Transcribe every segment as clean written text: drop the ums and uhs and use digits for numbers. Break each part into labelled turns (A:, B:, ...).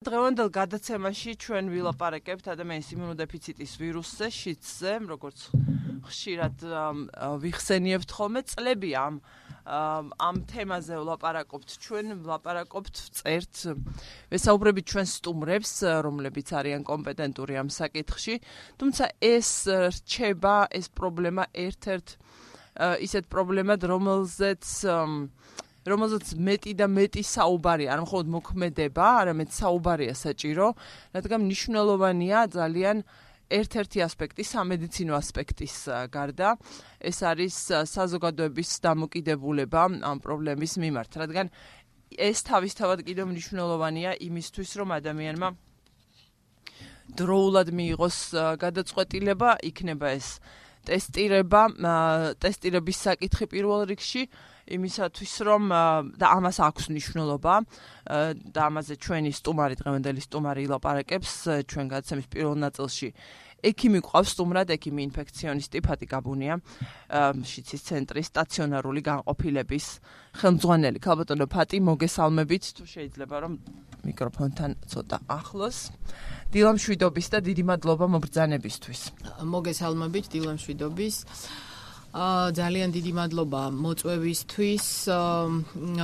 A: დღევანდელ გადაცემაში ჩვენ ვილაპარაკებთ ადამიანის იმუნოდეფიციტის ვირუსზე, შიდსზე, როგორც ხშირად ვიხსენიებთ ხოლმე, წლები ამ თემაზე ვლაპარაკობთ ჩვენ, წერთ, ვესაუბრებით ჩვენ სტუმრებს, რომლებიც არიან კომპეტენტური ამ საკითხში, თუმცა ეს რჩება, ეს პრობლემა ერთ-ერთ ისეთ პრობლემად, რომელზეც მეტი და მეტი საუბარი, არ მხოლოდ მოქმედება, არამედ საუბარია საჭირო, რადგან მნიშვნელოვანია ძალიან ერთ-ერთი ასპექტი, სამედიცინო ასპექტის გარდა, ეს არის საზოგადოების დამოკიდებულება ამ პრობლემის მიმართ, რადგან ეს თავისთავად კიდევ მნიშვნელოვანია იმისთვის, რომ ადამიანმა დროულად მიიღოს გადაწყვეტილება, იქნება ეს ტესტირების საკითხი პირველ რიგში, იმისათვის, რომ და ამას აქვს მნიშვნელობა და ამაზე ჩვენი სტუმარი, დღევანდელი სტუმარი ილაპარაკებს ჩვენ გადაცემის პირველ ნაწილში. ექიმი გვყავს სტუმრად, ექიმი ინფექციონისტი ფატი გაბუნია, შიდსის ცენტრის სტაციონარული განყოფილების ხელმძღვანელი. ქალბატონო ფატი, მოგესალმებით, თუ შეიძლება რომ მიკროფონთან ცოტა ახლოს. დილამშვიდობის და დიდი მადლობა მობრძანებისთვის.
B: მოგესალმებით, დილამშვიდობის. ძალიან დიდი მადლობა მოწვევისთვის.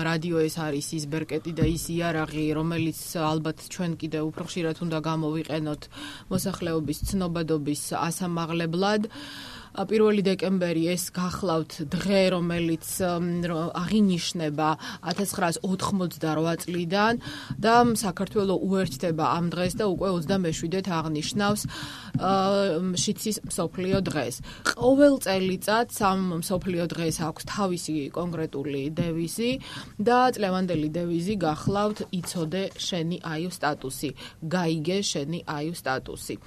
B: რადიო ეს არის ის ბერკეტი და ის იარაღი, რომელიც ალბათ ჩვენ კიდევ უფრო ხშირად უნდა გამოვიყენოთ მოსახლეობის ცნობადობის ასამაღლებლად. 1 დეკემბერი ეს გახლავთ დღე, რომელიც აღინიშნება 1988 წლიდან და საქართველოს უერთდება ამ დღეს და უკვე 27-ით აღნიშნავს შიდსის მსოფლიო დღეს. ყოველ წელიწადს ამ მსოფლიო დღეს აქვს თავისი კონკრეტული დევიზი და წლევანდელი დევიზი გახლავთ იცოდე შენი აიუ სტატუსი, გაიგე შენი აიუ სტატუსი.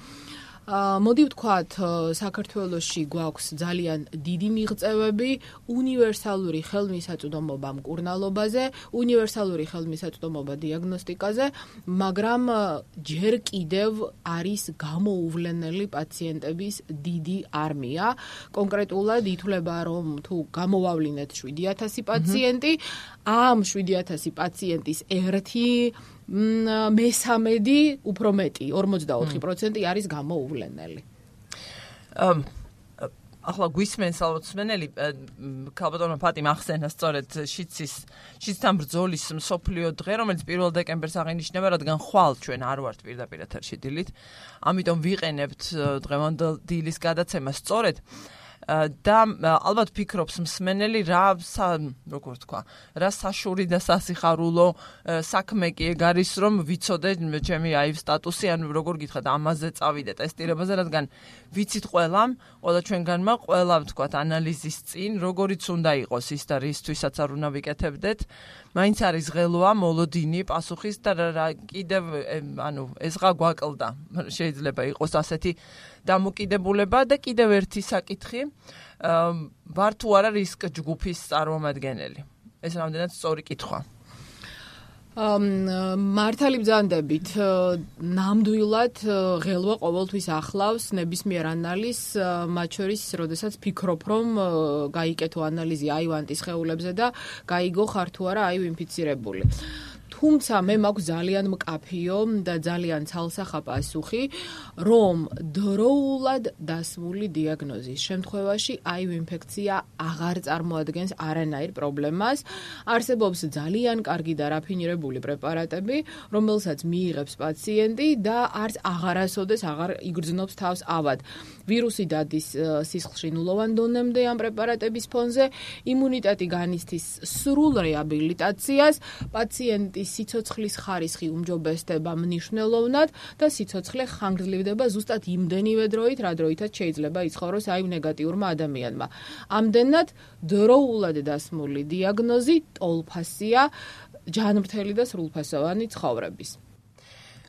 B: მოდი ვთქვათ, საქართველოში გვაქვს ძალიან დიდი მიღწევები უნივერსალური ხელმისაწვდომობა მკურნალობაზე, უნივერსალური ხელმისაწვდომობა დიაგნოსტიკაზე, მაგრამ ჯერ კიდევ არის გამოუვლენელი პაციენტების დიდი არმია. კონკრეტულად ითვლება, რომ თუ გამოვავლინეთ 7,000 პაციენტი, ამ 7,000 პაციენტის მესამედი, უფრო მეტი, 44% არის გამოუვლენელი.
A: ახლა გვისმენს ალბათ მსმენელი, ქალბატონო ფატი ახსენა სწორედ შიდსთან ბრძოლის მსოფლიო დღე, რომელიც 1 დეკემბერს აღინიშნება, რადგან ხვალ ჩვენ არ ვართ პირდაპირ ეთერში დილით, ამიტომ ვიყენებთ დღევანდელ დილის გადაცემას სწორედ. და ალბათ ფიქრობს მსმენელი რა საშური და სასიხარულო საქმე კი ეგ არის, რომ ვიცოდე ჩემი აიუ სტატუსი, ან როგორ გითხრათ, ამაზე წავიდე ტესტირებაზე, რადგან ვიცით ყველა ჩვენგანმა ყველა ვთქვათ ანალიზის წინ, როგორიც უნდა იყოს ის და რისთვისაც არ უნდა ვიკეთებდეთ, მაინც არის ღელვა, მოლოდინი, პასუხის და კიდევ ეს რა გვაკლდა, შეიძლება იყოს ასეთი დამოკიდებულება და კიდევ ერთი საკითხი, ვარ თუ არა რისკ ჯგუფის წარმომადგენელი. ეს რამდენად სწორი კითხვა.
B: მართალი ბრძანდებით, ნამდვილად ღელვა ყოველთვის ახლავს ნებისმიერ ანალიზს, მათ შორის, როდესაც ფიქრობ, რომ გაიკეთო ანალიზი აივანტის სხეულებზე და გაიგო ხარ თუ არა აიუ ინფიცირებული. თუმცა მე მაქვს ძალიან მკაფიო და ძალიან ცალსახა პასუხი, რომ დროულად დასმული დიაგნოზის შემთხვევაში აიუ ინფექცია აღარ წარმოადგენს არანაირ პრობლემას. არსებობს ძალიან კარგი და რაფინირებული პრეპარატები, რომელსაც მიიღებს პაციენტი და არც აღარასოდეს აღარ იგრძნობს თავს ავად. ვირუსი დადის სისხლში ნულოვან დონემდე ამ პრეპარატების ფონზე, იმუნიტეტი განიცდის სრულ რეაბილიტაციას, პაციენტის სიცოცხლის ხარისხი უმჯობესდება მნიშვნელოვნად და სიცოცხლე ხანგრძლივდება ზუსტად იმდენივე დროით, რა დროითაც შეიძლება იცხოვროს აიუ ნეგატიურმა ადამიანმა. ამდენად დროულად დასმული დიაგნოზი ტოლფასია ჯანმრთელი და სრულფასოვანი ცხოვრების.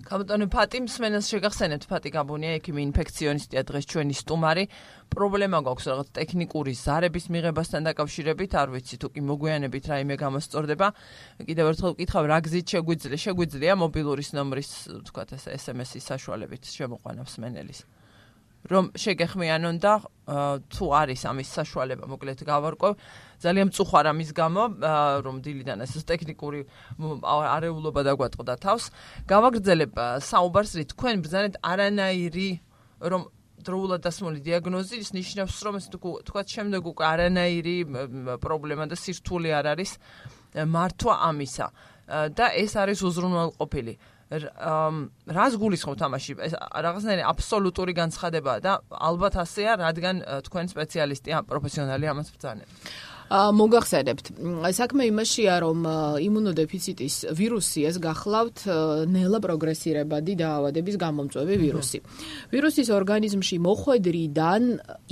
A: ქალბატონო ფატი, მსმენელს შეგახსენებთ, ფატი გაბუნია, ექიმი ინფექციონისტია, დღეს ჩვენი სტუმარი. პრობლემა გვაქვს რაღაც ტექნიკური ზარების მიღებასთან დაკავშირებით, არ ვიცი თუ კი მოგვიანებით რაიმე გამოსწორდება. კიდევ ერთხელ ვკითხავ, რა გზით შეგვიძლია მობილურის ნომრის, ვთქვათ, SMS-ის საშუალებით შემოყვანა მსმენელის. რომ შეგეხმიანონ და თუ არის ამის საშუალება, მოკლედ გავარკვევ, ძალიან მწუხვარ ამის გამო, რომ დილიდან ეს ტექნიკური არეულობა დაგვატყდა თავს. გავაგრძელებ საუბარს, რით თქვენ ბრძანეთ არანაირი რომ დროულად დასმული დიაგნოზი ის ნიშნავს, რომ ეს თქვათ შემდეგ უკვე არანაირი პრობლემა და სირთულე არ არის მართვა ამისა და ეს არის უზრუნველყოფილი. რას გულისხმობთ ამაში? ეს რაღაცნაირი აბსოლუტური განცხადებაა და ალბათ ასეა, რადგან თქვენ სპეციალისტი, პროფესიონალი ამას ბრძანებთ.
B: მოგახსენებთ, საქმე იმაშია, რომ იმუნოდეფიციტის ვირუსი ეს გახლავთ ნელა პროგრესირებადი დაავადების გამომწვევი ვირუსი. ვირუსის ორგანიზმში მოხვედრიდან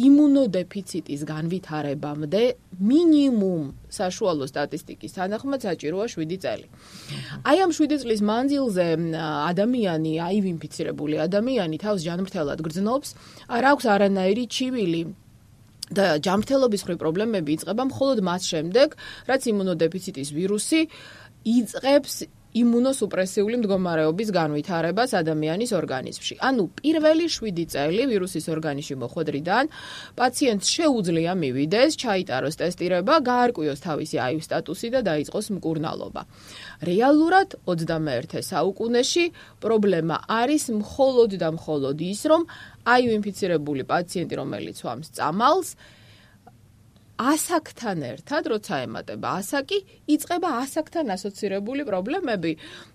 B: იმუნოდეფიციტის განვითარებამდე მინიმუმ საშუალო სტატისტიკის თანახმად საჭიროა 7 წელი. აი ამ 7 წლის მანძილზე ადამიანი, აივ ინფიცირებული ადამიანი თავს ჯანმრთელად გრძნობს, არ აქვს არანაირი ჩივილი და ჯანმრთელობის მხრივ პრობლემები იწყება მხოლოდ მას შემდეგ, რაც იმუნოდეფიციტის ვირუსი იწყებს იმუნოსუპრესიული მდგომარეობის განვითარებას ადამიანის ორგანიზმში. ანუ პირველი 7 წელი ვირუსის ორგანიზმში მოხვედრიდან პაციენტს შეუძლია მივიდეს, ჩაიტაროს ტესტირება, გაარკვიოს თავისი აივ სტატუსი და დაიწყოს მკურნალობა. რეალურად 21 საუკუნეში პრობლემა არის მხოლოდ და მხოლოდ ის, რომ აივ ინფიცირებული პაციენტი, რომელიც ვამს წამალს, ასაკთან ერთად, როცა ემატება ასაკი, იწყება ასაკთან ასოცირებული პრობლემები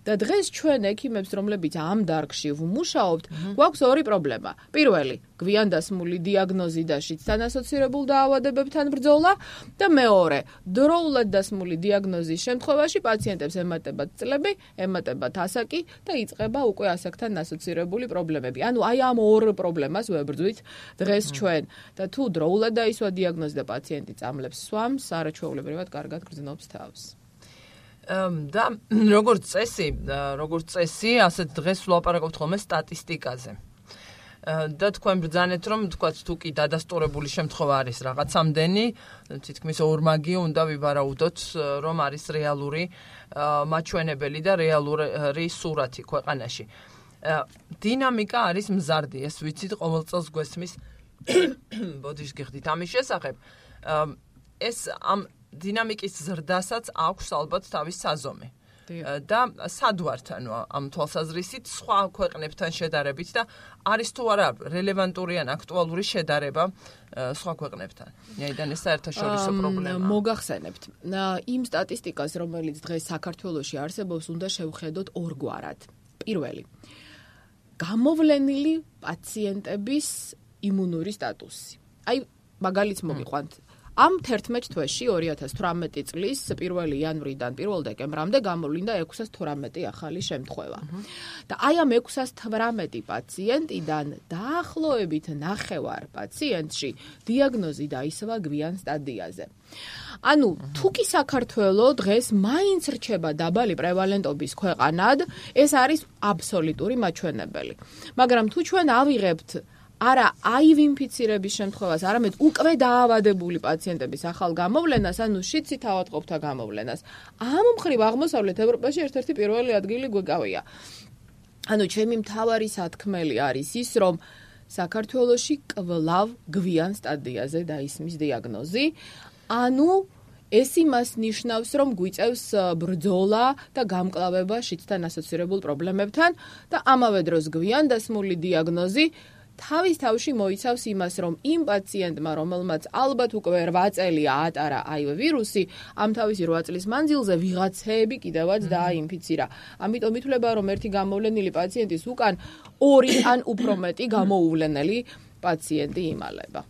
B: და დღეს ჩვენ ექიმებს, რომლებიც ამ დარგში ვმუშაობთ, გვაქვს ორი პრობლემა. პირველი, გვიან დასმული დიაგნოზი და შიდთან ასოცირებულ დაავადებებთან ბრძოლა და მეორე, დროულად დასმული დიაგნოზის შემთხვევაში პაციენტებს ემატებათ წლები, ემატებათ ასაკი და იწყება უკვე ასაკთან ასოცირებული პრობლემები. ანუ აი ამ ორ პრობლემას ვებრძვით დღეს ჩვენ და თუ დროულად დაისვა დიაგნოზი და პაციენტი წამლებს სვამს, არაჩვეულებრივად კარგად გრძნობს თავს.
A: და როგორც წესი, ასე დღეს ვლაპარაკობთ ხოლმე სტატისტიკაზე. და თქვენ ბრძანეთ, რომ თქვათ თუ კი დადასტურებული შემთხვევა არის რაღაცამდენი, თითქმის ორმაგი უნდა ვივარაუდოთ, რომ არის რეალური მაჩვენებელი და რეალური სურათი ქვეყანაში. დინამიკა არის მზარდი, ეს ვიცით, ყოველ წელს გვესმის ბოდიშ გიხდით ამის შესახებ. ეს ამ დინამიკის ზრდასაც აქვს ალბათ თავის საზომი. და სად ვართ ამ თვალსაზრისით სხვა ქვეყნებთან შედარებით და არის თუ არა რელევანტური ან აქტუალური შედარება სხვა ქვეყნებთან. ნაიდან ეს საერთაშორისო პრობლემაა.
B: მოგახსენებთ. იმ სტატისტიკას, რომელიც დღეს საქართველოში არსებობს, უნდა შევხედოთ ორგვარად. პირველი, გამოვლენილი პაციენტების იმუნური სტატუსი. აი, მაგალითს მოგიყვანთ. ამ 11 თვეში 2018 წლის 1 იანვრიდან 1 დეკემბრამდე გამოვლინდა 612 ახალი შემთხვევა. და აი ამ 612 პაციენტიდან დაახლოებით 9 პაციენტში დიაგნოზი დაისვა გვიან სტადიაზე. ანუ თუ კი საქართველო დღეს მაინც რჩება დაბალი პრევალენტობის ქვეყანად, ეს არის აბსოლუტური მაჩვენებელი. მაგრამ თუ ჩვენ ავიღებთ არა აივ ინფიცირების შემთხვევას, არამედ უკვე დაავადებული პაციენტების ახალ გამოვლენას, ანუ შიდსით ავატყოფთა გამოვლენას. ამ მხრივ აღმოსავლეთ ევროპაში ერთ-ერთი პირველი ადგილი გვეკავია. ანუ ჩემი მთავარი სათქმელი არის ის, რომ საქართველოში კვლავ გვიან სტადიაზე დაისმის დიაგნოზი. ანუ ეს იმას ნიშნავს, რომ გვიწევს ბრძოლა და გამკლავება შიდსთან ასოცირებულ პრობლემებთან და ამავე დროს გვიან დასმული დიაგნოზი თავის თავში მოიცავს იმას, რომ იმ პაციენტმა, რომელმაც ალბათ უკვე 8 წელი აატარა აივ ვირუსი, ამ თავისი 8 წლის მანძილზე ვიღაცები კიდევაც დააინფიცირა. ამიტომ ითვლება, რომ ერთი გამოვლენილი პაციენტის უკან 2 ან უფრო მეტი გამოუვლენელი პაციენტი იმალება.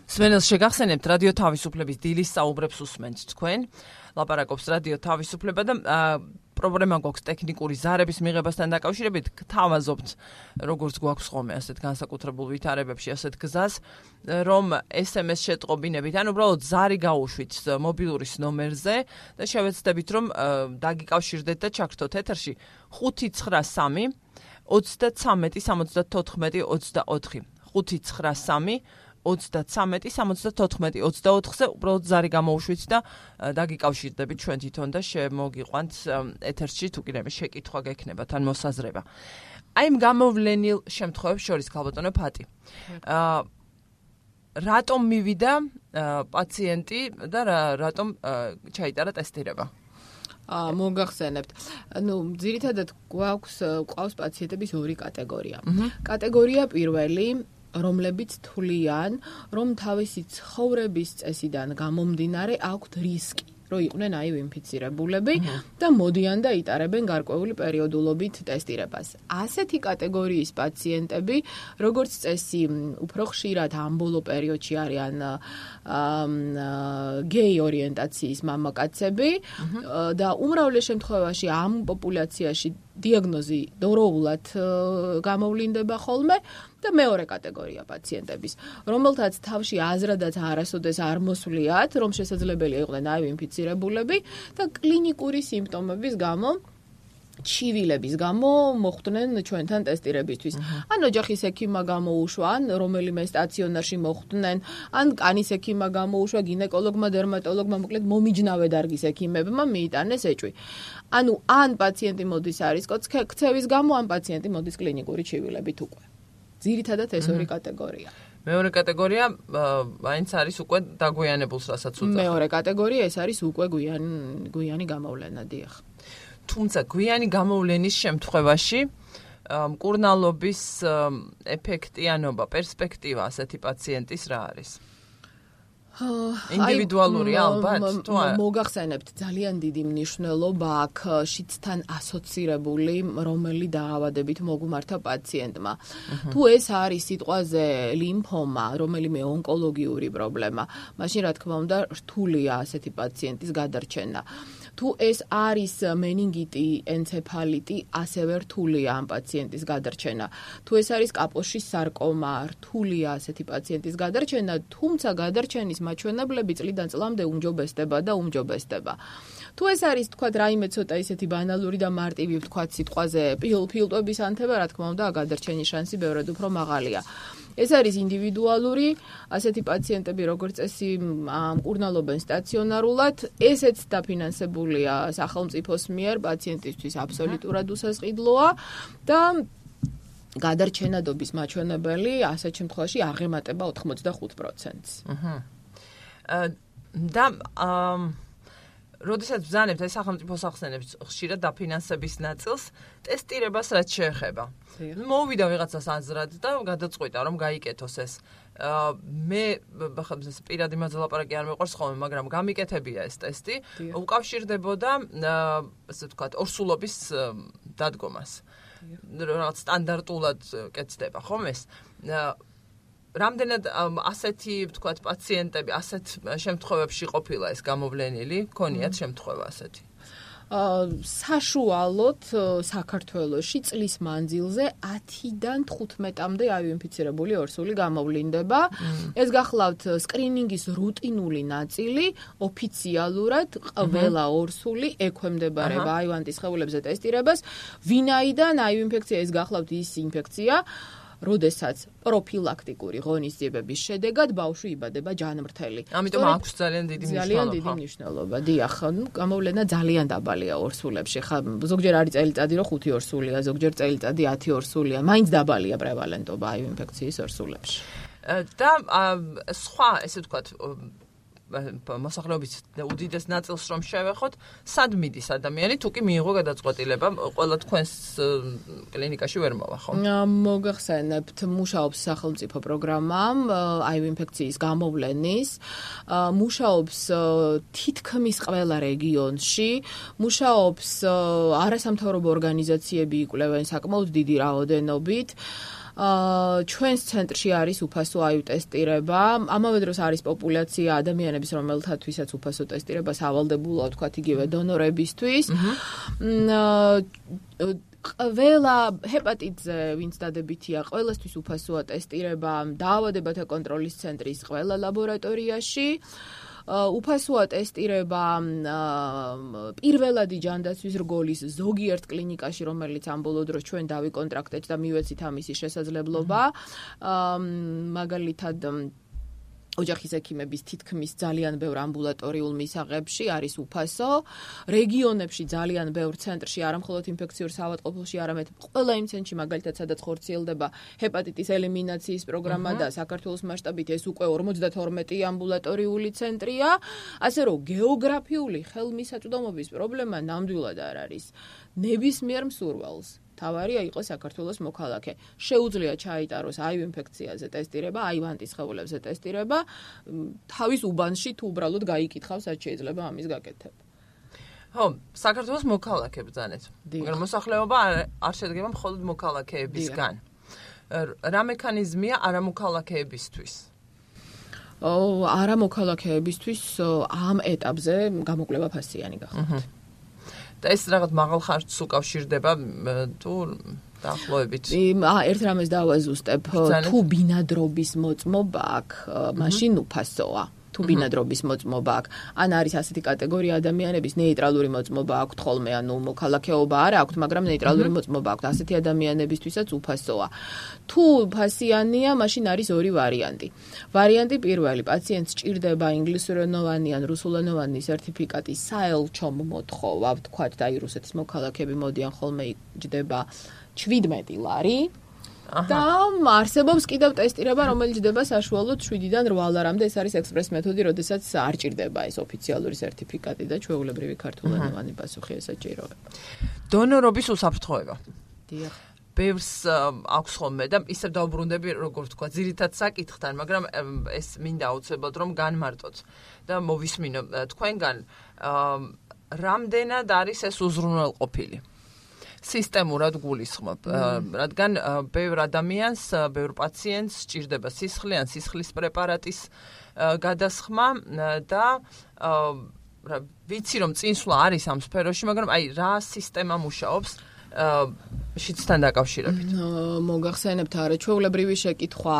A: სვენელს შეგახსენებთ რადიო თავისუფლების დილის საუბრებს უსმენთ თქვენ. ლაპარაკობს რადიო თავისუფლება და პრობლემა გვაქვს ტექნიკური ზარების მიღებასთან დაკავშირებით, გთავაზობთ, როგორც გვაქვს ხოლმე ასეთ განსაკუთრებულ ვითარებებში ასეთ გზას, რომ SMS შეტყობინებით, ან უბრალოდ ზარი გაუშვით მობილურის ნომერზე და შევეცდებით, რომ დაგიკავშირდეთ და ჩაგრთოთ ეთერში 593 33 74 24 593 33 74 24-ზე უბრალოდ ზარი გამოუშვით და დაგიკავშირდებით ჩვენ თვითონ და შემოგიყვანთ ეთერში თუ კიდევ შეკითხვა გექნებათ ან მოსაზრება. აი იმ გამოვლენილ შემთხვევებს შორის ქალბატონო ფატი. რატომ მივიდა პაციენტი და რატომ ჩაიტარა ტესტირება?
B: მოგახსენებთ. ძირითადად გვყავს პაციენტების ორი კატეგორია. კატეგორია პირველი, რომლებიც თვლიან, რომ თავისი ცხოვრების წესიდან გამომდინარე აქვთ რისკი, რომ იყვნენ ინფიცირებულები და მოდიან და იტარებენ გარკვეული პერიოდულობით ტესტირებას. ასეთი კატეგორიის პაციენტები, როგორც წესი, უფრო ხშირად ამ ბოლო პერიოდში არიან გეი ორიენტაციის მამაკაცები და უმრავლეს შემთხვევაში ამ პოპულაციაში დიაგნოზი დოროულად გამოვლინდება ხოლმე და მეორე კატეგორია პაციენტების, რომელთაც თავში აზრადაც არასოდეს არ მოსვლიათ, რომ შესაძლებელია იყვნენ ინფიცირებულები და კლინიკური სიმპტომების გამო ჩივილების გამო მოხვდნენ ჩვენთან ტესტირებისთვის. ან ოჯახის ექიმმა გამოუშვა, ან რომელიმე სტაციონარში მოხვდნენ, ან კანის ექიმმა გამოუშვა, გინეკოლოგმა, დერმატოლოგმა, მოკლედ მომიჯნავე დარგის ექიმებმა მიიტანეს ეჭვი. ანუ ან პაციენტი მოდის არის ქცევის გამო, ან პაციენტი მოდის კლინიკური ჩივილებით უკვე. ძირითადად ეს ორი კატეგორია.
A: მეორე კატეგორია მაინც არის უკვე დაგვიანებულს, რასაც უძახ.
B: მეორე კატეგორია ეს არის უკვე გვიანი გამოვლენა, დიახ.
A: თუმცა გვიანი გამოვლენის შემთხვევაში მკურნალობის ეფექტიანობა, პერსპექტივა ასეთი პაციენტის რა არის? ინდივიდუალურია ალბათ, თუ არა?
B: მოგახსენებთ, ძალიან დიდი მნიშვნელობა აქვს შიცთან ასოცირებული რომელი დაავადებით მოგმართა პაციენტმა. თუ ეს არის სიტყვაზე ლიმფომა, რომელიმე ონკოლოგიური პრობლემა, მაშინ რა თქმა უნდა რთულია ასეთი პაციენტის გადარჩენა. თუ ეს არის მენინგიტი, ენცეფალიტი, ასევე რთულია ამ პაციენტის გადარჩენა. თუ ეს არის კაპოშის სარკომა, რთულია ასეთი პაციენტის გადარჩენა, თუმცა გადარჩენის მაჩვენებლები წლიდან წლამდე უმჯობესდება და უმჯობესდება. თუ ეს არის, თქვათ, რაიმე ცოტა ისეთი ბანალური და მარტივი, თქვათ, სიტყვაზე ფილტვების ანთება, რა თქმა უნდა, გადარჩენის შანსი ბევრად უფრო მაღალია. ეს არის ინდივიდუალური, ასეთი პაციენტები როგორც წესი მკურნალობენ სტაციონარულად, ესეც დაფინანსებულია სახელმწიფოს მიერ, პაციენტისთვის აბსოლუტურად უსასყიდლოა და გადარჩენადობის მაჩვენებელი ასეთ შემთხვევაში აღემატება 85%-ს.
A: და როდესაც ბრძანებთ ეს სახელმწიფო სახსენებს ხშირად დაფინანსების ნაწილს, ტესტირებას რაც შეეხება. მოვიდა ვიღაცას აზრად და გადაწყვიტა რომ გაიკეთოს ეს. მე პირადი მასზე ლაპარაკი არ მეყვარს ხოლმე, მაგრამ გამიკეთებია ეს ტესტი, უკავშირდებოდა ასე ვთქვათ, ორსულობის დადგომას. რაღაც სტანდარტულად კეთდება ხომ ეს? რამდენად ასეთი, ვთქვათ, პაციენტები ასეთ შემთხვევებში ყოფილა ეს გამოვლენილი, ქონიათ შემთხვევა ასეთი?
B: საშუალოდ საქართველოში წლის მანძილზე 10-დან 15-მდე ინფიცირებული ორსული გამოვლინდება. ეს გახლავთ სკრინინგის რუტინული ნაწილი, ოფიციალურად ყველა ორსული ექვემდებარება აივანტის სხეულებზე ტესტირებას, ვინაიდან ინფექცია ეს გახლავთ ის ინფექცია, როდესაც პროფილაქტიკური ღონისძიებების შედეგად ბავშვი იბადება ჯანმრთელი.
A: ამიტომ აქვს ძალიან დიდი მნიშვნელობა.
B: ძალიან დიდი მნიშვნელობა. დიახ, გამოვლენა ძალიან დაბალია ორსულებში. ხა ზოგჯერ არის წელიწადი, რომ 5 ორსულია, ზოგჯერ წელიწადი 10 ორსულია. მაინც დაბალია პრევალენტობა ინფექციის ორსულებში.
A: და სხვა, ესე ვთქვათ, მოსახლეობის უდიდეს ნაწილს რომ შევეხოთ, სად მიდის ადამიანი, თუ კი მიიღო გადაწყვეტილება, ყველა თქვენს კლინიკაში ვერ მოვა, ხო?
B: მოგახსენებთ, მუშაობს სახელმწიფო პროგრამა ინფექციის გამოვლენის, მუშაობს თითქმის ყველა რეგიონში, მუშაობს არასამთავრობო ორგანიზაციები იკვლევენ საკმაოდ დიდი რაოდენობით. ჩვენს ცენტრში არის უფასო ტესტირება, ამავე დროს არის პოპულაცია ადამიანების, რომელთათვისაც უფასო ტესტირებას ავალდებულა, თქვათ, იგივე დონორებისთვის. ყველა ჰეპატიტზე, ვინც დადებითია, ყველასთვის უფასოა ტესტირება დაავადებათა კონტროლის ცენტრის ყველა ლაბორატორიაში. უფასოა ტესტირება პირველადი ჯანდაცვის რგოლის ზოგიერთ კლინიკაში, რომელიც ამ ბოლო დროს ჩვენ დავიკონტრაქტეთ და მივეცით ამისი შესაძლებლობა. მაგალითად ოჯახის ექიმების თითქმის ძალიან ბევრ ამბულატორიულ მისაღებში არის უფასო. რეგიონებში ძალიან ბევრ ცენტრში, არა მხოლოდ ინფექციურ საავადმყოფოში, არამედ ყველა იმ ცენტრში, მაგალითად, სადაც ხორციელდება ჰეპატიტის ელიმინაციის პროგრამა და საქართველოს მასშტაბით ეს უკვე 52 ამბულატორიული ცენტრია. ასე რომ გეოგრაფიული ხელმისაწვდომობის პრობლემა ნამდვილად არ არის. ნებისმიერ მსურველს თავარია იყოს საქართველოს მოქალაქე. შეუძლია ჩაიტაროს აივ ინფექციაზე ტესტირება, აივ ანტისხეულებზე ტესტირება, თავის უბანში თუ უბრალოდ გაიკითხავს, რაც შეიძლება ამის გაკეთება.
A: ხო, საქართველოს მოქალაქე ბრძანეთ. მაგრამ მოსახლეობა არ შედგება მხოლოდ მოქალაქეებისგან. რა მექანიზმია არამოქალაქეებისთვის?
B: არამოქალაქეებისთვის ამ ეტაპზე გამოკვლევა ფასიანი გახდათ.
A: და ეს რაღაც მაღალ ხარჯს უკავშირდება თუ დაახლოებით.
B: ერთ რამეს დავაზუსტებ, თუ ბინადრობის მოწმობა აქვს, მაშინ უფასოა. თუ ბინადრობის მოწმობა აქვს, ან არის ასეთი კატეგორია ადამიანების ნეიტრალური მოწმობა აქვთ ხოლმე, ანუ მოქალაქეობა არ აქვთ, მაგრამ ნეიტრალური მოწმობა აქვთ, ასეთი ადამიანებისთვისაც უფასოა. თუ ფასიანია, მაშინ არის ორი ვარიანტი. ვარიანტი პირველი, პაციენტს სჭირდება ინგლისურენოვანი ან რუსულენოვანი სერტიფიკატი საელჩომ მოთხოვა, ვთქვათ, და რუსეთის მოქალაქეები მოდიან ხოლმე იჯდება 17 ლარი. და არსებობს კიდევ ტესტირება, რომელიც ჯდება საშუალოდ 7-დან 8 ლარამდე, ეს არის ექსპრეს მეთოდი, როდესაც არ ჭირდება ეს ოფიციალური სერტიფიკატი და ჩვეულებრივი ქართულენოვანი პასუხი ესაჭიროება.
A: დონორობის უსაფრთხოება.
B: დიახ.
A: ბევრს აქვს ხოლმე და ისევ დაუბრუნდები, როგორ ვთქვა, ძირითად საკითხთან, მაგრამ ეს მინდა აუცილებლად რომ განმარტოთ და მოვისმინო თქვენგან, რამდენად არის ეს უზრუნველყოფილი? სისტემურად გულისხმობ, რადგან ბევრ ადამიანს, ბევრ პაციენტს სჭირდება სისხლი ან სისხლის პრეპარატის გადასხმა და ვიცი რომ წინსვლა არის ამ სფეროში, მაგრამ აი რა სისტემა მუშაობს შიცთან დაკავშირებით.
B: მოგახსენებთ არაჩვეულებრივი შეკითხვა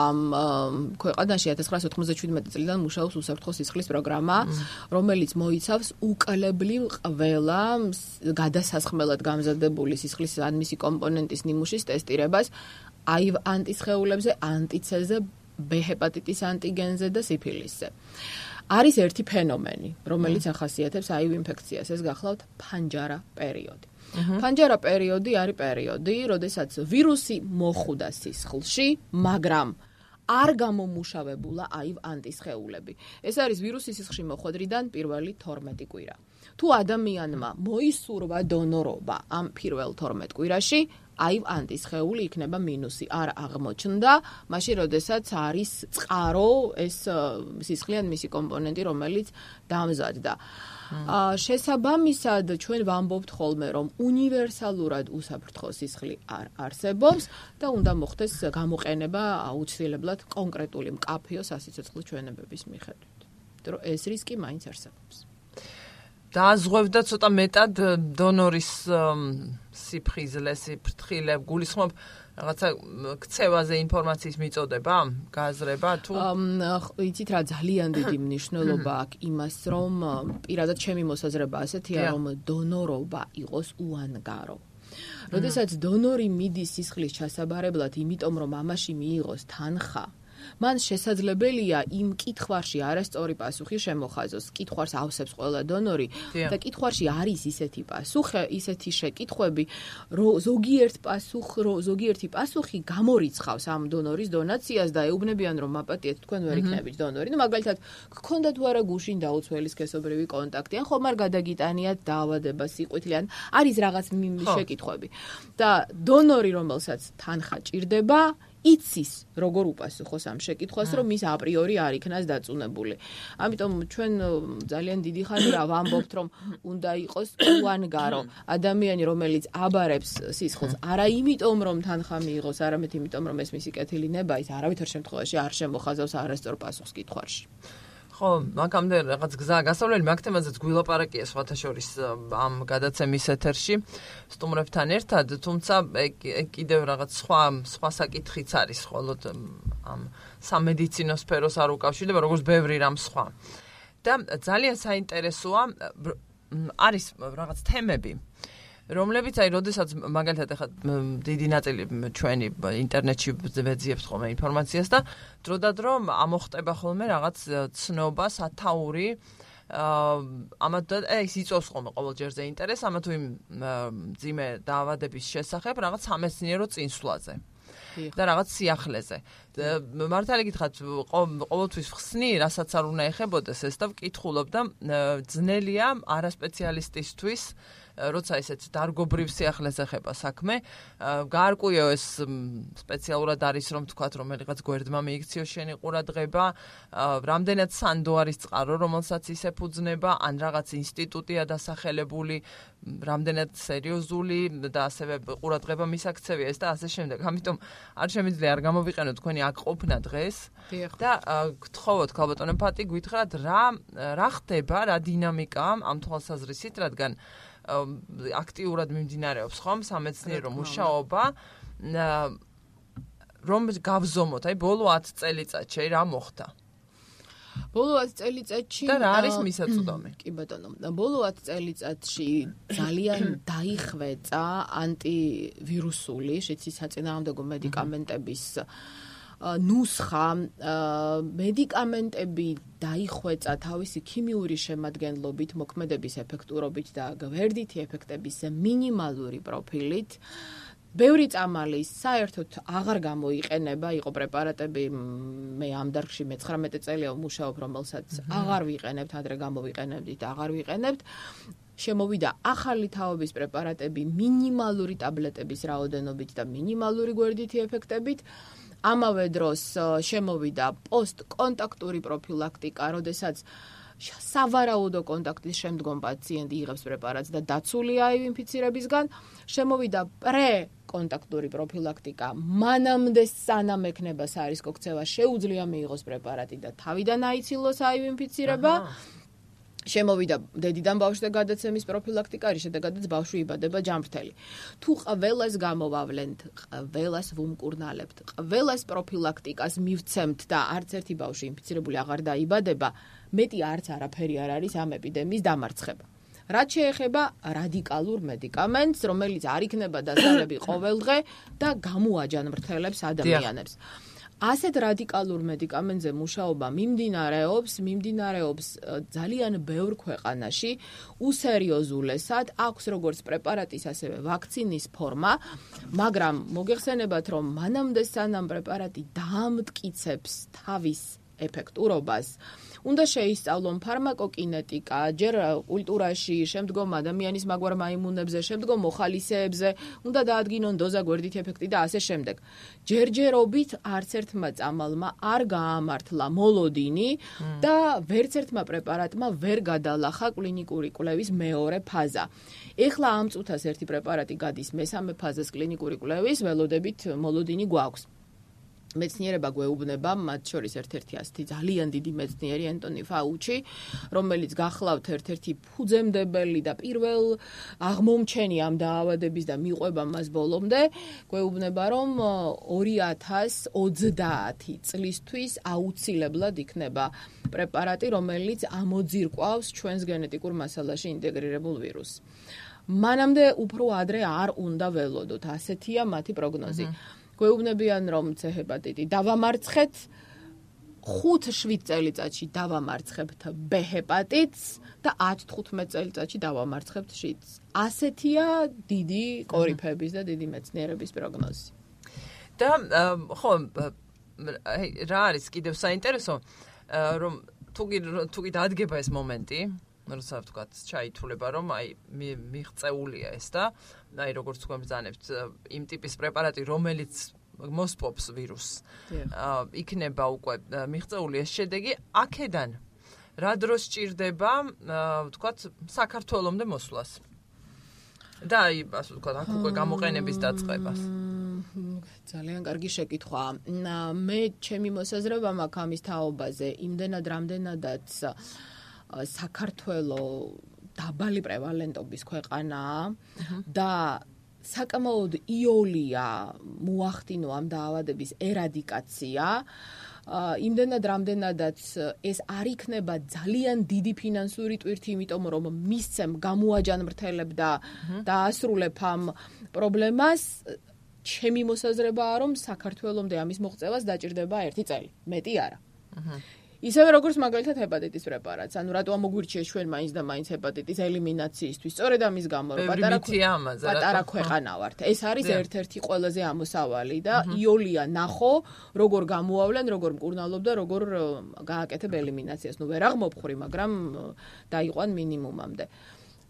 B: ქვეყანაში 1997 წლიდან მუშაობს უსაფრთხო სისხლის პროგრამა, რომელიც მოიცავს უკლებლივ ყველა გადასასხმელად გამზადებული სისხლის ან მისი კომპონენტის ნიმუშის ტესტირებას აივ ანტისხეულებზე, ანტიცეზე, B ჰეპატიტის ანტიგენზე და სიფილისზე. არის ერთი ფენომენი, რომელიც ახასიათებს აივ ინფექციას, ეს გახლავთ ფანჯარა პერიოდი. ფანჯარა პერიოდი არის პერიოდი, როდესაც ვირუსი მოხვდა სისხლში, მაგრამ არ გამომუშავებულა აივ ანტისხეულები. ეს არის ვირუსი სისხლში მოხვედრიდან პირველი 12 კვირა. თუ ადამიანმა მოისურვა დონორობა ამ პირველ 12 კვირაში, აივ ანტისხეული იქნება მინუსი, არ აღმოჩნდა, მაშინ როდესაც არის წყარო ეს სისხლი ან მისი კომპონენტი, რომელიც დამზადდა. შესაბამისად, ჩვენ ვამბობთ ხოლმე, რომ უნივერსალურად უსაფრთხო სისხლი არ არსებობს და უნდა მოხდეს გამოყენება აუცილებლად კონკრეტული მკაფიო სასიცოცხლო ჩვენებების მიხედვით. იმიტომ რომ ეს რისკი მაინც არსებობს.
A: დააზღვევდა ცოტა მეტად დონორის სიფხიზლე, სიფრთხილე, გულისხმობ რაღაცა ქცევაზე ინფორმაციის მიწოდება, გააზრება თუ
B: იცით რა ძალიან დიდი მნიშვნელობა აქვს იმას, რომ პირადად ჩემი მოსაზრება ასეთია, რომ დონორობა იყოს უანგარო. როდესაც დონორი მიდის სისხლის ჩასაბარებლად, იმიტომ რომ ამაში მიიღოს თანხა, მან შესაძლებელია იმ კითხვარში არასწორი პასუხი შემოხაზოს. კითხვარს ავსებს ყველა დონორი და კითხვარში არის ისეთი პასუხი, ისეთი შეკითხვები, რომ ზოგიერთი პასუხი გამორიცხავს ამ დონორის დონაციას და ეუბნებიან, რომ მაპატიეთ თქვენ ვერ იქნებით დონორი. ნუ მაგალითად, გქონდა თუ არა გუშინ დაუცველი სქესობრივი კონტაქტი, ან ხომ არ გადაგიტანიათ დაავადება სიყვითლე, ან არის რაღაც შეკითხვები. და დონორი, რომელსაც თანხა ჭირდება, იცის როგორ უპასუხოს ამ შეკითხვას, რომ ის აპრიორი არ იქნას დაწუნებული. ამიტომ ჩვენ ძალიან დიდი ხანია ვამბობთ, რომ უნდა იყოს უანგარო ადამიანი, რომელიც აბარებს სისხლს, არა იმიტომ, რომ თანხა მიიღოს, არამედ იმიტომ, რომ ეს მისი კეთილი ნება, ის არავითარ შემთხვევაში არ შემოხაზავს არასწორ პასუხს კითხვაში.
A: ხო, მაგამდე რაღაც გზაა გასავლელი, მაგ თემაზეც გვილაპარაკია სხვათა შორის ამ გადაცემის ეთერში სტუმრებთან ერთად, თუმცა კიდევ რაღაც სხვა საკითხიც არის, ხოლოდ ამ სამედიცინო სფეროს არ უკავშირდება, როგორც ბევრი რამ სხვა. და ძალიან საინტერესოა არის რაღაც თემები, რომლებიც აი როდესაც მაგალითად ახლა დიდი ნაწილი ჩვენი ინტერნეტში ვეძიებთ ხოლმე ინფორმაციას და დროდადრო ამოხტება ხოლმე რაღაც ცნობა, სათაური ამათ ის იწვევს ხოლმე ყოველჯერზე ინტერესს ამა თუ იმ მძიმე დაავადების შესახებ რაღაც სამეცნიერო წინსვლაზე და რაღაც სიახლეზე. მართალი გითხრათ, ყოველთვის ხსნი, რასაც არ უნდა ეხებოდეს ეს და ვკითხულობ და ძნელია არასპეციალისტისთვის როცა ესეც დარგობრივ სიახლეს ეხება საქმე, გაარკვიო ეს სპეციალურად არის რომ თქვათ რომელიღაც გვერდმა მიიქციო შენი ყურადღება, რამდენად სანდო არის წყარო, რომელსაც ის ეფუძნება, ან რაღაც ინსტიტუტია დასახელებული, რამდენად სერიოზული და ასევე ყურადღება მისაქცევია ეს და ასე შემდეგ. ამიტომ არ შემიძლია არ გამოვიყენო თქვენი აქ ყოფნა დღეს და გთხოვოთ ქალბატონო ფატი გვითხრათ რა ხდება, რა დინამიკა ამ თვალსაზრისით, რადგან აქტიურად მიმდინარეობს ხომ სამეცნიერო მუშაობა რომ გავზომოთ, აი ბოლო 10 წელიწადში რა მოხდა?
B: ბოლო 10 წელიწადში
A: და რა არის მისაწვდომი?
B: კი ბატონო, ბოლო 10 წელიწადში ძალიან დაიხვეწა ანტივირუსული, საწინააღმდეგო მედიკამენტების ნუსხა, მედიკამენტები დაიხვეწა თავისი ქიმიური შემადგენლობით, მოქმედების ეფექტურობით და გვერდითი ეფექტების მინიმალური პროფილით. ბევრი წამალი საერთოდ აღარ გამოიყენება, იყო პრეპარატები, მე ამ დარგში 19 წელია ვმუშაობ, რომელსაც აღარ ვიყენებთ, ადრე გამოვიყენებდით, აღარ ვიყენებთ. შემოვიდა ახალი თაობის პრეპარატები მინიმალური ტაბლეტების რაოდენობით და მინიმალური გვერდითი ეფექტებით. ამავე დროს შემოვიდა პოსტკონტაქტური პროფილაქტიკა, როდესაც სავარაუდო კონტაქტის შემდგომ პაციენტი იღებს პრეპარატს და დაცულია ინფიცირებისგან. შემოვიდა პრეკონტაქტური პროფილაქტიკა, მანამდე სანამ ექნება სარისკო ქცევა, შეუძლია მიიღოს პრეპარატი და თავიდან აიცილოს ინფიცირება. შემოვიდა დედიდან ბავშვზე გადაცემის პროფილაქტიკა, რის შედეგადაც ბავშვი იბადება ჯამრთელი. თუ ყველას გამოვავლენთ, ყველას ვუმკურნალებთ, ყველას პროფილაქტიკას მივცემთ და არც ერთი ბავშვი ინფიცირებული აღარ დაიბადება, მეტი არც არაფერი არ არის ამ ეპიდემიის დამარცხება. რაც შეეხება რადიკალურ მედიკამენტს, რომელიც არ იქნება დასალები ყოველდღე და გამოაჯანმრთელებს ადამიანებს. ასეთ რადიკალურ მედიკამენტზე მუშაობა მიმდინარეობს ძალიან ბევრ ქვეყანაში, უსერიოზულესად, აქვს როგორც პრეპარატის, ასევე ვაქცინის ფორმა, მაგრამ მოგეხსენებათ, რომ მანამდე სანამ პრეპარატი დაამტკიცებს თავის ეფექტურობას, უნდა შეისწავლონ ფარმაკოკინეტიკა, ჯერ კულტურაში, შემდგომ ადამიანის მაგვარ მაიმუნებზე, შემდგომ მოხალისეებზე, უნდა დაადგინონ დოზა, გვერდითი ეფექტი და ასე შემდეგ. ჯერჯერობით არც ერთმა წამალმა არ გაამართლა მოლოდინი და ვერც ერთმა პრეპარატმა ვერ გადალახა კლინიკური კვლევის მეორე ფაზა. ეხლა ამ წუთას ერთი პრეპარატი გადის მესამე ფაზას კლინიკური კვლევის, ველოდებით მოლოდინი გვაქვს. მეცნიერება გვეუბნება, მათ შორის ერთ-ერთი ასეთი ძალიან დიდი მეცნიერი ენტონი ფაუჩი, რომელიც გახლავთ ერთ-ერთი ფუძემდებელი და პირველ აღმომჩენი ამ დაავადების და მიყვება მას ბოლომდე, გვეუბნება, რომ 2030 წლისთვის აუცილებლად იქნება პრეპარატი, რომელიც ამოძირკვავს ჩვენს გენეტიკურ მასალაში ინტეგრირებულ ვირუსს. მანამდე უფრო ადრე არ უნდა ველოდოთ, ასეთია მათი პროგნოზი. გვეუბნებიან, რომ C ჰეპატიტი დავამარცხეთ, 5-7 წელიწადში დავამარცხებთ B ჰეპატიტს და 10-15 წელიწადში დავამარცხებთ შიდს. ასეთია დიდი კორიფების და დიდი მეცნიერების პროგნოზი.
A: და ხო, რა არის კიდევ საინტერესო, რომ თუ კი დადგება ეს მომენტი, როცა ვთქვათ, ჩაითვლება, რომ აი მიღწეულია ეს და აი როგორც თქვენ ბრძანებთ, იმ ტიპის პრეპარატი, რომელიც მოსპობს ვირუსს, იქნება უკვე მიღწეული ეს შედეგი, აქედან რა დროს სჭირდება, ვთქვათ, საქართველომდე მოსვლას? და აი, ასე ვთქვათ, აქ უკვე გამოყენების დაწყებას.
B: ძალიან კარგი შეკითხვა. მე ჩემი მოსაზრება მაქვს ამის თაობაზე, იმდენად რამდენადაც საქართველო დაბალი პრევალენტობის ქვეყანაა და საკმაოდ იოლია მოახდინო ამ დაავადების ერადიკაცია, იმდენად რამდენადაც ეს არ იქნება ძალიან დიდი ფინანსური ტვირთი, იმიტომ რომ მისცემ გამოაჯანმრთელებ და დაასრულებ ამ პრობლემას, ჩემი მოსაზრებაა, რომ საქართველომდე ამის მოღწევას დაჭირდება 1 წელი, მეტი არა. ისევე როგორც მაგალითად ჰეპატიტის პრეპარატს, ანუ რატო მოგვირჩიეს ჩვენ მაინც და მაინც ჰეპატიტის ელიმინაციისთვის, სწორედ ამის გამო, რომ პატარა ქვეყანა ვართ. ეს არის ერთ-ერთი ყველაზე ამოსავალი და იოლია ნახო, როგორ გამოავლენ, როგორ მკურნალობ და როგორ გააკეთებ ელიმინაციას. ვერ აღმოფხური, მაგრამ დაიყვან მინიმუმამდე.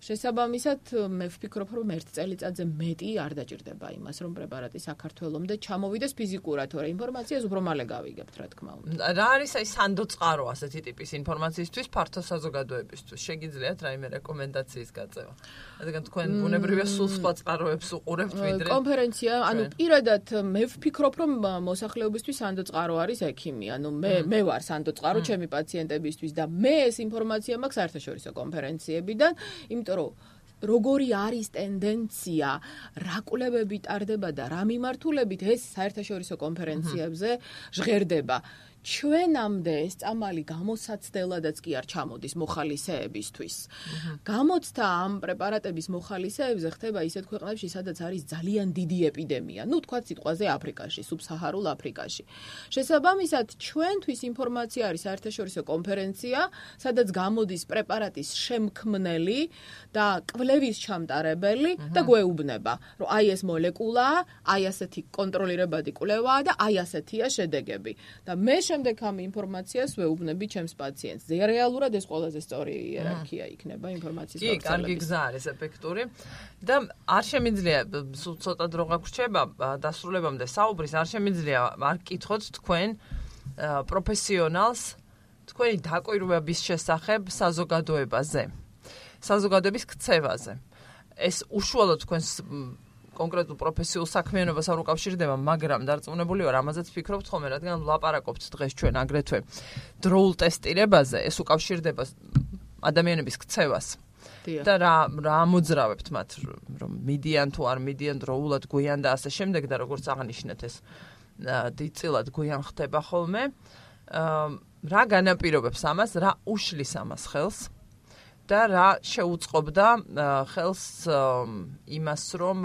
B: შესაბამისად, მე ვფიქრობ, რომ 1 წელიწადზე მეტი არ დაჭირდება იმას, რომ პრეპარატი საქართველომდე ჩამოვიდეს ფიზიკურად, თორე ინფორმაციას უფრო მალე გავიგებთ, რა თქმა უნდა.
A: რა არის აი სანდოწყარო ასეთი ტიპის ინფორმაციისთვის ფართო საზოგადოებისთვის? შეგიძლიათ რაიმე რეკომენდაციის გაწევა? რადგან თქვენ ბუნებრივია სულ სხვა წყაროებს უყურებთ ვიდრე
B: კონფერენცია, ანუ პირადად მე ვფიქრობ, რომ მოსახლეობისთვის სანდოწყარო არის ექიმი, ანუ მე ვარ სანდოწყარო ჩემი პაციენტებისთვის და მე ეს ინფორმაცია მაქვს საერთაშორისო კონფერენციებიდან, იმიტომ როგორი არის ტენდენცია, რა კვლევები ტარდება და რა მიმართულებით ეს საერთაშორისო კონფერენციებზე ჟღერდება. ჩვენამდე ეს წამალი გამოსაცდელადაც კი არ ჩამოდის მოხალისეებისთვის. გამოცდა ამ პრეპარატების მოხალისეებზე ხდება ისეთ ქვეყნებში, სადაც არის ძალიან დიდი ეპიდემია. თქვათ სიტყვაზე აფრიკაში, სუბსაჰარულ აფრიკაში. შესაბამისად, ჩვენთვის ინფორმაცია არის საერთაშორისო კონფერენცია, სადაც გამოდის პრეპარატის შემქმნელი და კვლევის ჩამტარებელი და გვეუბნება, რომ აი ეს მოლეკულაა, აი ასეთი კონტროლირებადი კვლევაა და აი ასეთია შედეგები. და მე შემდეგ ამ ინფორმაციას ვეუბნები ჩემს პაციენტს. რეალურად ეს ყველაზე სწორი იერარქია იქნება ინფორმაციის გავრცელების.
A: კი, კარგი გზა არის ეფექტური და არ შემიძლია სულ ცოტა დრო გაგვრჩება დასრულებამდე საუბრის, არ შემიძლია არ გკითხოთ თქვენ პროფესიონალს თქვენი დაკვირვების შესახებ საზოგადოებაზე, საზოგადოების ქცევაზე. ეს უშუალოდ თქვენს კონკრეტულ პროფესიულ საქმიანობას არ უკავშირდება, მაგრამ დარწმუნებული ვარ, ამაზეც ფიქრობთ ხოლმე, რადგან ვლაპარაკობთ დღეს ჩვენ აგრეთვე დროულ ტესტირებაზე, ეს უკავშირდება ადამიანების ქცევას. და რა ამოძრავებთ მათ, რომ მიდიან თუ არ მიდიან დროულად, გვიან და ასე შემდეგ და როგორც აღნიშნეთ ეს დიდწილად გვიან ხდება ხოლმე. რა განაპირობებს ამას, რა უშლის ამას ხელს? და რა შეუწყობდა ხელს იმას, რომ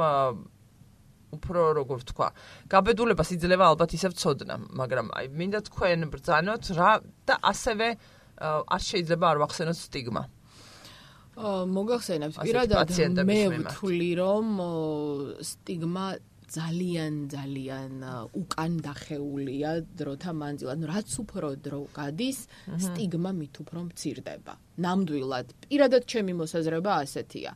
A: უფრო როგორ ვთქვა, გაბედულებას იძლევა ალბათ ისევ ცოდნა, მაგრამ აი მინდა თქვენ ბრძანოთ რა და ასევე არ შეიძლება არ ვახსენოთ სტიგმა.
B: მოგახსენებთ, პირადად მე ვთვლი, რომ სტიგმა ძალიან უკან დახეულია დროთა მანძილად. რაც უფრო დრო გადის, სტიგმა მით უფრო მცირდება. ნამდვილად, პირადად ჩემი მოსაზრება ასეთია.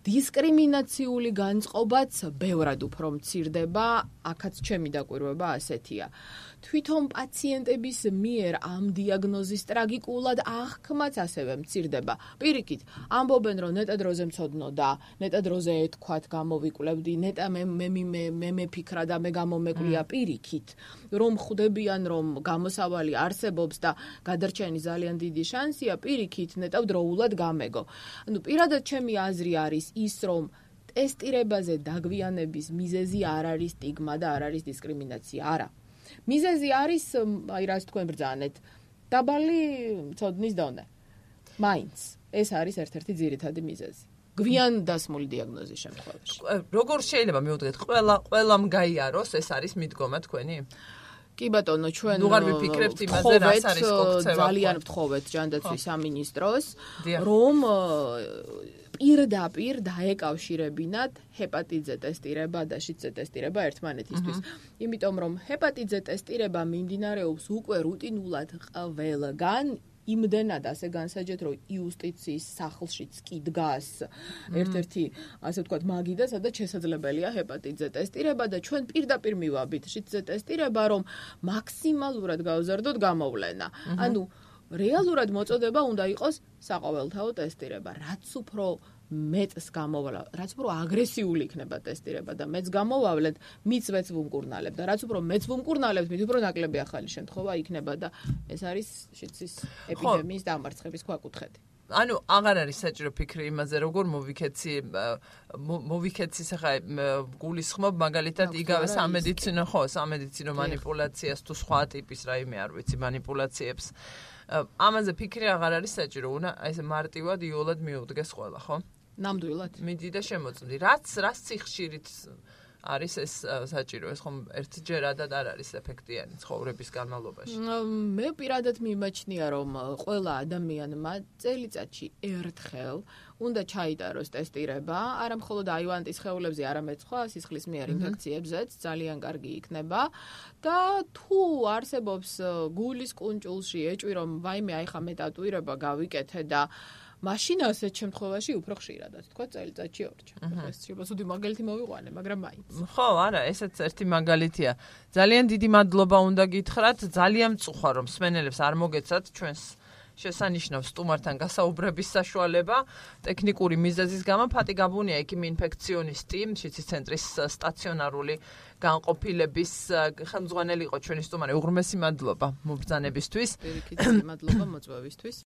B: დისკრიმინაციული განწყობაც ბევრად უფრო მცირდება, აქაც ჩემი დაკვირვება ასეთია. თვითონ პაციენტების მიერ ამ დიაგნოზის ტრაგიკულად აღქმაც ასევე მცირდება. პირიქით, ამბობენ, რომ ნეტა დროზე მცოდნოდა, ნეტა დროზე ეთქვათ, გამოვიკვლევდი, ნეტა მე მეფიქრა და მე გამომეკვია პირიქით, რომ ხვდებიან, რომ გამოსავალი არსებობს და გადარჩენის ძალიან დიდი შანსია, პირიქით, ნეტა დროულად გამეგო. ანუ პირადად ჩემი აზრი არის ის, რომ ტესტირებაზე დაგვიანების მიზეზი არ არის სტიგმა და არ არის დისკრიმინაცია, არა. მიზეზი არის, აი რაც თქვენ ბრძანეთ, დაბალი მცოდნის დონე. მაინც ეს არის ერთ-ერთი ძირითადი მიზეზი. გვიან დასმული დიაგნოზის შემთხვევაში.
A: როგორ შეიძლება მივუდგეთ, ყველამ გაიაროს, ეს არის მიდგომა თქვენი?
B: კი ბატონო, ჩვენ
A: ვუღარ ვიფიქრებთ იმაზე, რას არის კონცევა.
B: ძალიან ვთხოვეთ ჯანდაცვის სამინისტროს, რომ პირდაპირ დაეკავშირებინათ ჰეპატიტზე ტესტირება და შიდზე ტესტირება ერთმანეთისთვის. იმიტომ რომ ჰეპატიტზე ტესტირება მიმდინარეობს უკვე რუტინულად ყველგან, იმდენად ასე განსაჯეთ, რომ იუსტიციის სახლშიც კი დგას ერთ-ერთი, ასე ვთქვათ, მაგიდა, სადაც შესაძლებელია ჰეპატიტზე ტესტირება და ჩვენ პირდაპირ მივაბით შიდზე ტესტირება, რომ მაქსიმალურად გავზარდოთ გამოვლენა. ანუ რეალურად მოწოდება უნდა იყოს საყოველთაო ტესტირება. რაც უფრო მეტს გამოვალ, რაც უფრო აგრესიული იქნება ტესტირება და მეც გამოვავლეთ, მიც ვუმკურნალებთ და რაც უფრო მეც ვუმკურნალებთ, მით უფრო ნაკლები ახალი შემთხვევა იქნება და ეს არის შიდსის ეპიდემიის დამარცხების ქვაკუთხედი.
A: ანუ აღარ არის საჭირო ფიქრი იმაზე, როგორ მოვიქეცის ახლა გულისხმობ მაგალითად იგავე სამედიცინო манипуляციას თუ სხვა ტიპის რაიმე არ ვიცი манипуляციებს. ამაზე ფიქრი აღარ არის საჭირო, უნდა აი ესე მარტივად იოლად მიუდგეს ყველა, ხო?
B: ნამდვილად.
A: მიდი და შემოწმდი. რაც სიხშირით არის ეს საჭირო, ეს ხომ ერთჯერადად არ არის ეფექტიანი ცხოვრების განმავლობაში.
B: მე პირადად მიმაჩნია, რომ ყველა ადამიანმა წელიწადში ერთხელ უნდა ჩაიტაროს ტესტირება, არა მხოლოდ აივანტის სხეულებზე, არამედ სხვა სისხლისმიერ ინფექციებზეც ძალიან კარგი იქნება და თუ არსებობს გულის კუნჭულში ეჭვი, რომ ვაიმე აი ხა მე ტატუირება გავიკეთე და მაშინ ასეთ შემთხვევაში უფრო ხშირადად, თქვა წელიწადში ორჯერ. ეს შეფასუდი მაგალითი მოვიყვანე, მაგრამ მაინც.
A: ხო, არა, ესეც ერთი მაგალითია. ძალიან დიდი მადლობა უნდა გითხრათ, ძალიან მწუხარ რომ მსმენელებს არ მოგეცათ ჩვენს შესანიშნავ სტუმართან გასაუბრების საშუალება ტექნიკური მიზეზის გამო. ფატი გაბუნია ექიმი ინფექციონისტი, შიცის ცენტრის სტაციონარული განყოფილების ხელმძღვანელი იყო ჩვენი სტუმარი. უღრმესი მადლობა მობრძანებისთვის.
B: პირიქით, მადლობა მოწვევისთვის.